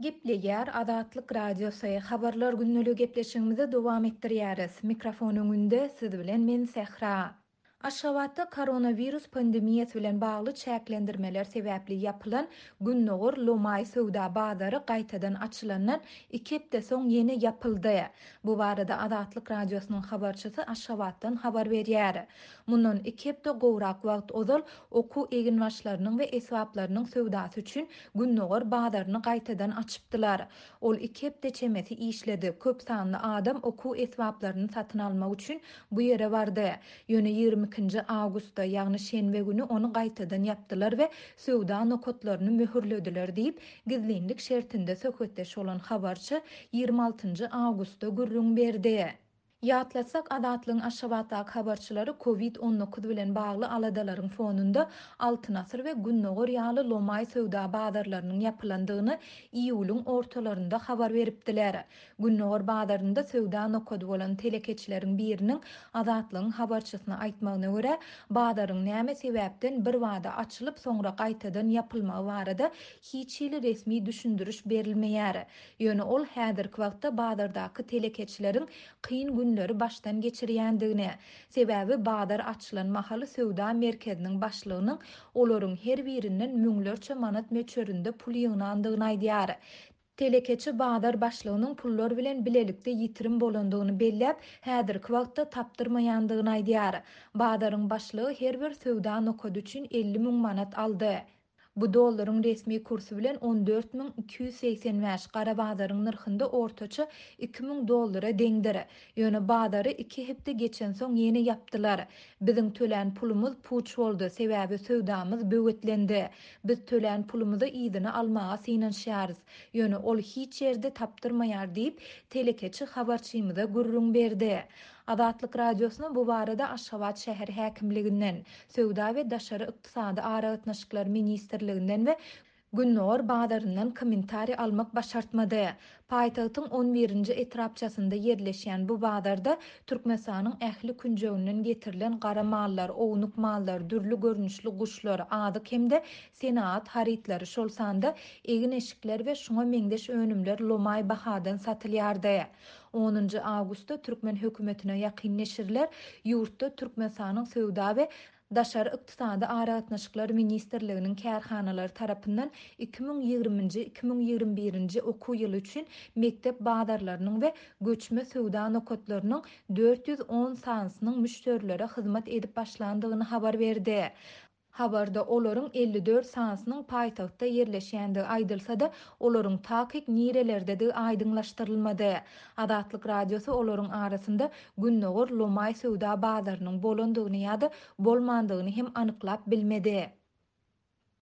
Gepleýär Azatlyk Radiosy, Habarlar gündeligi gepleşigimizi dowam etdirýäris. Mikrofon öňünde siz bilen men Sähra. Aşgabatda koronawirus pandemiýasy bilen bagly çäklendirmeler sebäpli ýapylan Gündogar lomaý söwda bazary gaýtadan açylandan iki hepde soň ýene ýapyldy. Bu barada Azatlyk Radiosynyň habarçysy Aşgabatdan habar berýär. Mundan iki hepde gowrak wagt ozal okuw eginbaşlarynyň we esbaplarynyň söwdasy üçin Gündogar bazaryny gaýtadan açypdylar. Ol iki hepde çemesi işledi, köp sanly adam okuw esbaplaryny satyn almak üçin bu ýere bardy. Ýöne ýigrimi ikinji awgustda, ýagny şenbe güni ony gaýtadan ýapdylar we söwda nokatlaryny möhürlediler diýip, gizlinlik şertinde söhbetdeş bolan habarçy ýigrimi altynjy awgustda gürrüň berdi. Ýatlatsak, Azatlygyň Aşgabatdaky habarçylary Covid 19 bilen bagly aladalaryň fonunda Altyn asyr we Gündogar ýaly lomaý söwda bazarlarynyň ýapylandygyny iýulyň ortalarynda habar beripdiler. Gündogar bazarynda söwda nokady bolan telekeçileriň biriniň Azatlygyň habarçysyna aýtmagyna görä, bazaryň näme sebäpden birbada açylyp, soňra gaýtadan ýapylmagy barada hiç hili resmi düşündiriş berilmeýär. Ýöne ol häzirki wagtda bazardaky telekeçileriň kyn günleri başdan geçirýändigini, sebäbi bazar açylan mahaly söwda merkeziniň başlygynyň olaryň her birinden müňlerçe manat möçberinde pul ýygnandygyny aýdýar. Telekeçi bazar başlygynyň pullar bilen bilelikde ýitirim bolandygyny belläp, häzirki wagtda tapdyrmaýandygyny aýdýar. Bazaryň başlygy her bir söwda nokady üçin 50 müň manat aldy. Bu dollaryň resmi kursy bilen 14 285, gara bazaryň nyrhynda ortaça 2000 dollara deňdir. Ýöne bazary iki hepde geçensoň ýene ýapdylar. Biziň tölän pulumyz puç boldy, sebäbi söwdamyz böwetlendi. Biz tölän pulumyzy yzyna almaga synanyşýarys. Ýöne ol hiç ýerde tapdyrmaýar diýip, telekeçi habarçymyza gürrüň berdi. Azatlyk Radiosyna bu barada Aşgabat şäher häkimliginden, Söwda we daşary ykdysady aragatnaşyklar ministrliginden we Gündogar bazaryndan kommentariý almak başartmady. Paýtagtyň on birinji etrapçasynda ýerleşýän bu bazarda Türkmenistanyň ähli künjeginden getirilen gara mallar, ownuk mallar, dürli görnüşli guşlar, azyk hem-de senagat harytlary, şol sanda egin-eşikler we şuňa meňzeş önümler lomaý bahadan satylýardy. Onunjy awgustda türkmen hökümetine ýakyn neşirler ýurtda Türkmenistanyň Söwda we daşary ykdysady aragatnaşyklar ministrliginiň kärhanalary tarapyndan 2020-nji, 2021-nji okuw ýyly üçin mekdep bazarlarynyň we göçme söwda nokatlarynyň 410 sanysynyň müşderilere hyzmat edip başlandygyny habar berdi. Habarda olaryň 54 sanysynyň paýtagtda ýerleşýändigi aýdylsa-da, olaryň takyk nirelerdedigi aýdyňlaşdyrylmady. Azatlyk Radiosy olaryň arasynda Gündogar lomaý söwda bazarynyň bolandygyny ýa-da bolmandygyny hem anyklap bilmedi.